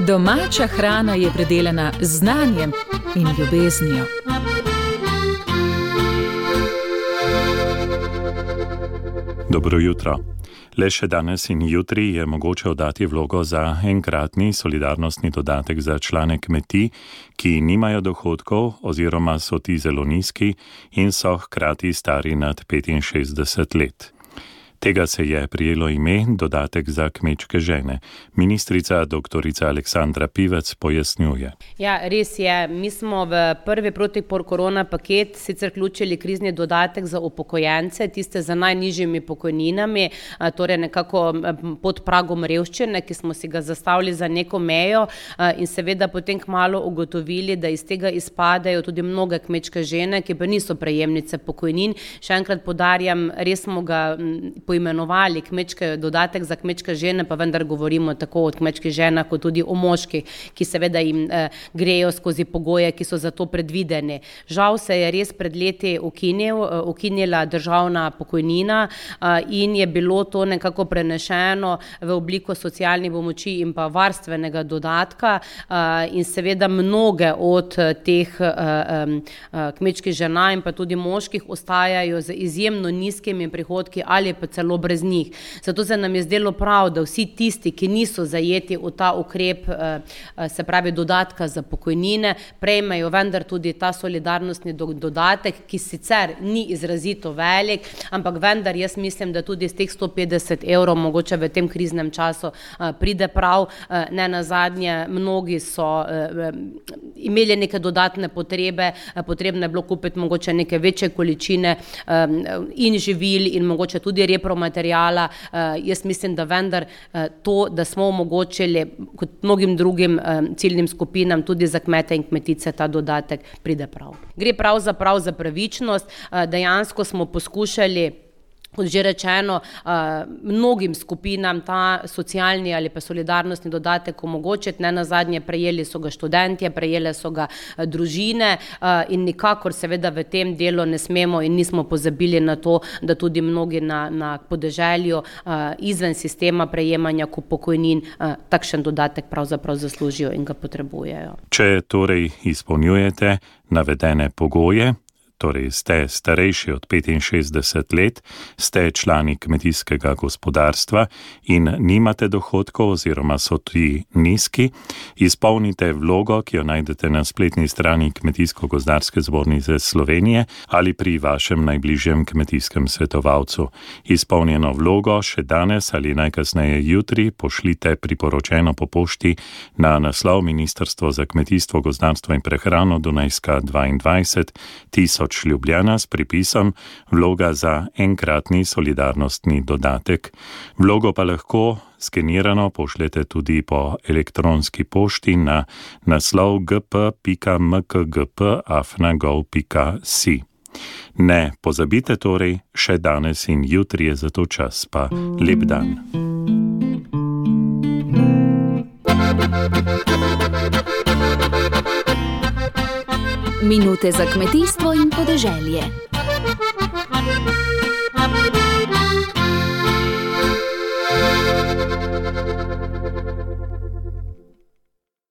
Domača hrana je predelana z znanjem in ljubeznijo. Dobro jutro. Le še danes in jutri je mogoče oddati vlogo za enkratni solidarnostni dodatek za člane kmetij, ki nimajo dohodkov oziroma so ti zelo nizki in so hkrati stari nad 65 let. Tega se je prijelo ime dodatek za kmečke žene. Ministrica doktorica Aleksandra Pivec pojasnjuje. Ja, res je. Mi smo v prvi proti-korona paket sicer vključili krizni dodatek za upokojence, tiste za najnižjimi pokojninami, torej nekako pod pragom revščine, ki smo si ga zastavili za neko mejo in seveda potem kmalu ugotovili, da iz tega izpadajo tudi mnoge kmečke žene, ki pa niso prejemnice pokojnin. Še enkrat poudarjam, res smo ga poimenovali dodatek za kmečke žene, pa vendar govorimo tako o kmečkih ženah, kot tudi o moških, ki seveda jim grejo skozi pogoje, ki so za to predvideni. Žal se je res pred leti ukinila državna pokojnina in je bilo to nekako prenešeno v obliko socialnih pomoči in pa varstvenega dodatka in seveda mnoge od teh kmečkih žena in pa tudi moških ostajajo z izjemno nizkimi prihodki ali pa celo brez njih. Zato se nam je zdelo prav, da vsi tisti, ki niso zajeti v ta ukrep, se pravi dodatka za pokojnine, prejmejo vendar tudi ta solidarnostni dodatek, ki sicer ni izrazito velik, ampak vendar jaz mislim, da tudi z teh 150 evrov mogoče v tem kriznem času pride prav. Ne nazadnje, mnogi so imeli neke dodatne potrebe, potrebno je bilo kupiti mogoče neke večje količine in živil in mogoče tudi repromaterijala. Jaz mislim, da vendar to, da smo omogočili kot mnogim drugim ciljnim skupinam, tudi za kmete in kmetice, ta dodatek pride prav. Gre pravzaprav za pravičnost. Dejansko smo poskušali, kot že rečeno, mnogim skupinam ta socialni ali pa solidarnostni dodatek omogočiti. Ne nazadnje, prejeli so ga študentje, prejele so ga družine in nikakor seveda v tem delu ne smemo in nismo pozabili na to, da tudi mnogi na podeželju izven sistema prejemanja pokojnin takšen dodatek pravzaprav zaslužijo in ga potrebujejo. Če torej izpolnjujete navedene pogoje, torej ste starejši od 65 let, ste člani kmetijskega gospodarstva in nimate dohodkov oziroma so ti nizki, izpolnite vlogo, ki jo najdete na spletni strani Kmetijsko-gozdarske zbornice Slovenije ali pri vašem najbližjem kmetijskem svetovalcu. Izpolnjeno vlogo še danes ali najkasneje jutri pošljite priporočeno po pošti na naslov Ministrstvo za kmetijstvo, gozdarstvo in prehrano, Dunajska 22 1000 Ljubljana s pripisom vloga za enkratni solidarnostni dodatek. Vlogo pa lahko skenirano pošljete tudi po elektronski pošti na naslov gp.mkgp@gov.si. Ne pozabite torej, še danes in jutri je za to čas, pa lep dan. Minute za kmetijstvo in podeželje.